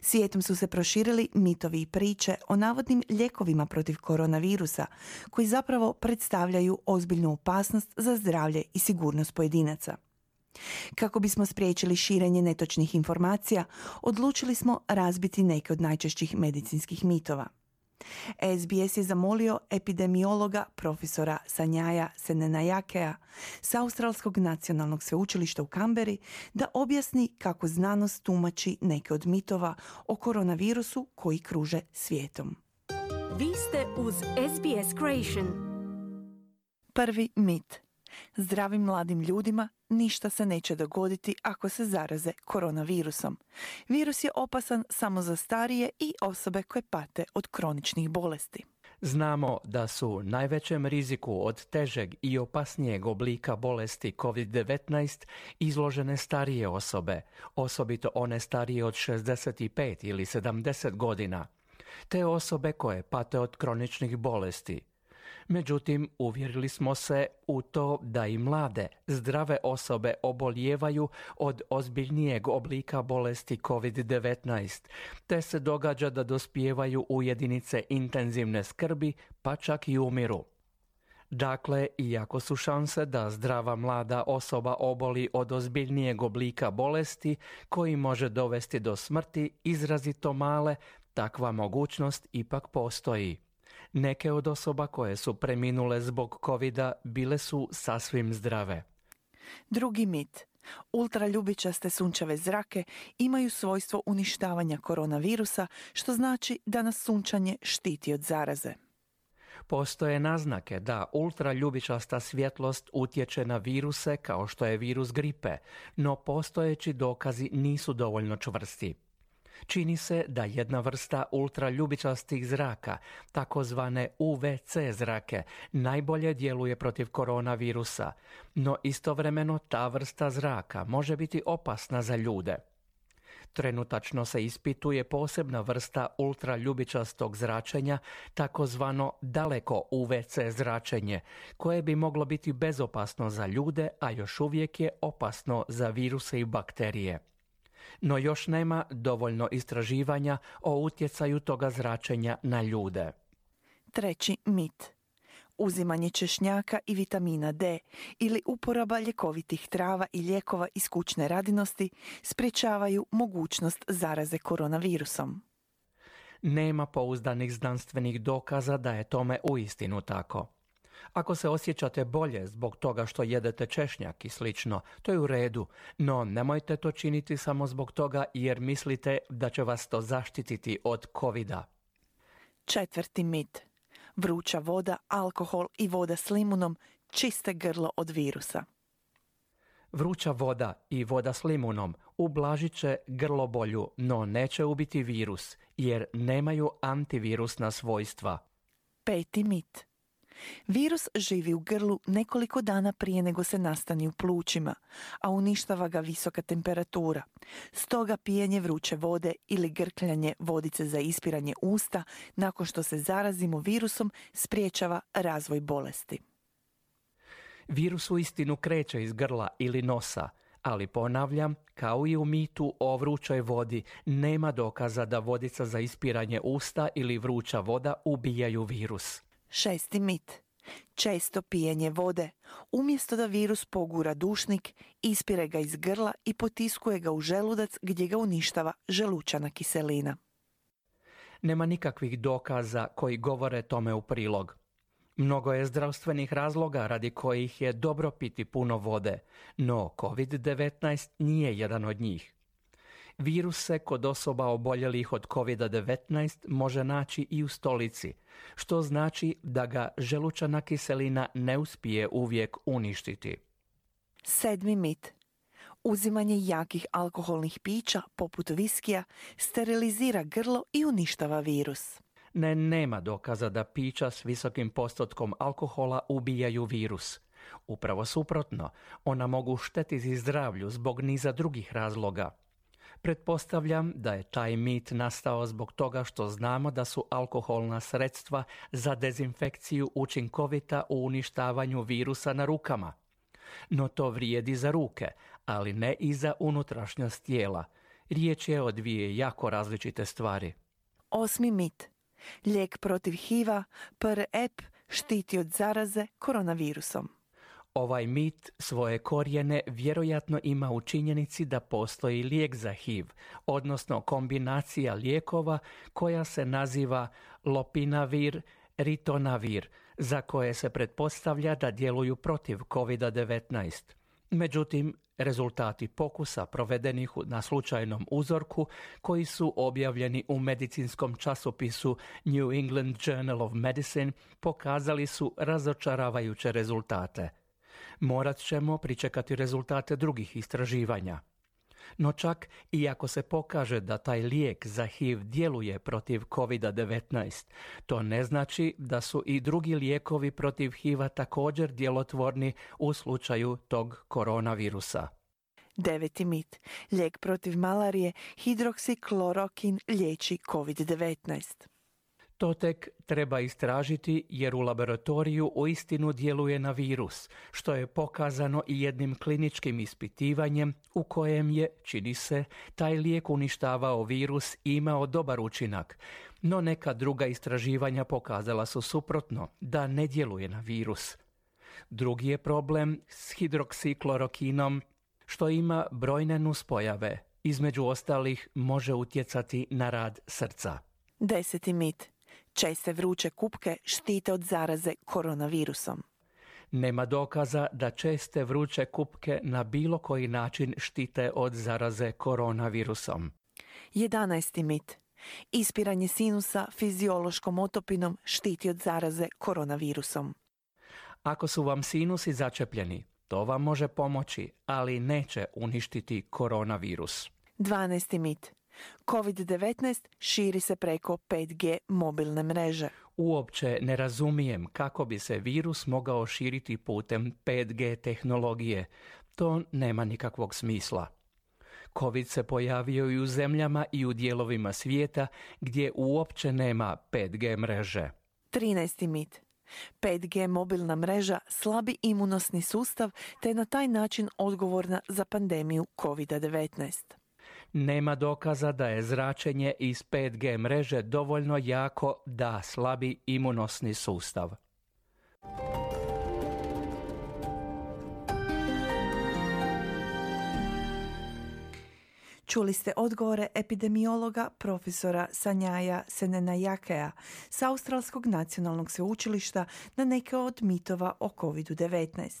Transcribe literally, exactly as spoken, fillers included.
Svijetom su se proširili mitovi i priče o navodnim lijekovima protiv koronavirusa, koji zapravo predstavljaju ozbiljnu opasnost za zdravlje i sigurnost pojedinaca. Kako bismo spriječili širenje netočnih informacija, odlučili smo razbiti neke od najčešćih medicinskih mitova. S B S je zamolio epidemiologa profesora Sanjaja Senenajakea s Australskog nacionalnog sveučilišta u Kamberi da objasni kako znanost tumači neke od mitova o koronavirusu koji kruže svijetom. Vi ste uz S B S Creation. Prvi mit. Zdravim mladim ljudima ništa se neće dogoditi ako se zaraze koronavirusom. Virus je opasan samo za starije i osobe koje pate od kroničnih bolesti. Znamo da su najvećem riziku od težeg i opasnijeg oblika bolesti kovid devetnaest izložene starije osobe, osobito one starije od šezdeset pet ili sedamdeset godina, te osobe koje pate od kroničnih bolesti. Međutim, uvjerili smo se u to da i mlade, zdrave osobe obolijevaju od ozbiljnijeg oblika bolesti kovid devetnaest, te se događa da dospijevaju u jedinice intenzivne skrbi, pa čak i umiru. Dakle, iako su šanse da zdrava mlada osoba oboli od ozbiljnijeg oblika bolesti koji može dovesti do smrti izrazito male, takva mogućnost ipak postoji. Neke od osoba koje su preminule zbog kovida bile su sasvim zdrave. Drugi mit. Ultraljubičaste sunčeve zrake imaju svojstvo uništavanja koronavirusa, što znači da nas sunčanje štiti od zaraze. Postoje naznake da ultraljubičasta svjetlost utječe na viruse kao što je virus gripe, no postojeći dokazi nisu dovoljno čvrsti. Čini se da jedna vrsta ultraljubičastih zraka, takozvane U V C zrake, najbolje djeluje protiv koronavirusa, no istovremeno ta vrsta zraka može biti opasna za ljude. Trenutačno se ispituje posebna vrsta ultraljubičastog zračenja, takozvano daleko U V C zračenje, koje bi moglo biti bezopasno za ljude, a još uvijek je opasno za viruse i bakterije. No još nema dovoljno istraživanja o utjecaju toga zračenja na ljude. Treći mit. Uzimanje češnjaka i vitamina D ili uporaba ljekovitih trava i lijekova iz kućne radinosti sprječavaju mogućnost zaraze koronavirusom. Nema pouzdanih znanstvenih dokaza da je tome uistinu tako. Ako se osjećate bolje zbog toga što jedete češnjak i slično, to je u redu, no nemojte to činiti samo zbog toga jer mislite da će vas to zaštititi od kovida. Četvrti mit. Vruća voda, alkohol i voda s limunom čiste grlo od virusa. Vruća voda i voda s limunom ublažit će grlobolju, no neće ubiti virus jer nemaju antivirusna svojstva. Peti mit. Virus živi u grlu nekoliko dana prije nego se nastani u plućima, a uništava ga visoka temperatura. Stoga pijenje vruće vode ili grkljanje vodice za ispiranje usta nakon što se zarazimo virusom sprječava razvoj bolesti. Virus uistinu kreće iz grla ili nosa, ali ponavljam, kao i u mitu o vrućoj vodi, nema dokaza da vodica za ispiranje usta ili vruća voda ubijaju virus. Šesti mit. Često pijenje vode. Umjesto da virus pogura dušnik, ispire ga iz grla i potiskuje ga u želudac gdje ga uništava želučana kiselina. Nema nikakvih dokaza koji govore tome u prilog. Mnogo je zdravstvenih razloga radi kojih je dobro piti puno vode, no kovid devetnaest nije jedan od njih. Virus se kod osoba oboljelih od kovid devetnaest može naći i u stolici, što znači da ga želučana kiselina ne uspije uvijek uništiti. Sedmi mit. Uzimanje jakih alkoholnih pića, poput viskija, sterilizira grlo i uništava virus. Ne, nema dokaza da pića s visokim postotkom alkohola ubijaju virus. Upravo suprotno, ona mogu štetiti zdravlju zbog niza drugih razloga. Pretpostavljam da je taj mit nastao zbog toga što znamo da su alkoholna sredstva za dezinfekciju učinkovita u uništavanju virusa na rukama. No to vrijedi za ruke, ali ne i za unutrašnjost tijela. Riječ je o dvije jako različite stvari. Osmi mit. Lijek protiv H I V-a, P R E P, štiti od zaraze koronavirusom. Ovaj mit svoje korijene vjerojatno ima u činjenici da postoji lijek za H I V, odnosno kombinacija lijekova koja se naziva lopinavir, ritonavir, za koje se pretpostavlja da djeluju protiv kovid devetnaest. Međutim, rezultati pokusa provedenih na slučajnom uzorku, koji su objavljeni u medicinskom časopisu New England Journal of Medicine, pokazali su razočaravajuće rezultate. Morat ćemo pričekati rezultate drugih istraživanja. No čak i ako se pokaže da taj lijek za H I V djeluje protiv kovid devetnaest, to ne znači da su i drugi lijekovi protiv H I V-a također djelotvorni u slučaju tog koronavirusa. Deveti mit. Lijek protiv malarije hidroksiklorokin liječi kovid devetnaest. To tek treba istražiti jer u laboratoriju uistinu djeluje na virus, što je pokazano i jednim kliničkim ispitivanjem u kojem je, čini se, taj lijek uništavao virus i imao dobar učinak. No neka druga istraživanja pokazala su suprotno, da ne djeluje na virus. Drugi je problem s hidroksiklorokinom, što ima brojne nuspojave. Između ostalih može utjecati na rad srca. Deseti mit. Česte vruće kupke štite od zaraze koronavirusom. Nema dokaza da česte vruće kupke na bilo koji način štite od zaraze koronavirusom. Jedanaesti mit. Ispiranje sinusa fiziološkom otopinom štiti od zaraze koronavirusom. Ako su vam sinusi začepljeni, to vam može pomoći, ali neće uništiti koronavirus. Dvanaesti mit. kovid devetnaest širi se preko pet G mobilne mreže. Uopće ne razumijem kako bi se virus mogao širiti putem pet G tehnologije. To nema nikakvog smisla. Covid se pojavio i u zemljama i u dijelovima svijeta gdje uopće nema pet G mreže. Trinaesti mit. pet G mobilna mreža slabi imunosni sustav te je na taj način odgovorna za pandemiju kovid devetnaest. Nema dokaza da je zračenje iz pet G mreže dovoljno jako da slabi imunosni sustav. Čuli ste odgovore epidemiologa profesora Sanjaja Senenajakea s Australskog nacionalnog sveučilišta na neke od mitova o kovid devetnaest.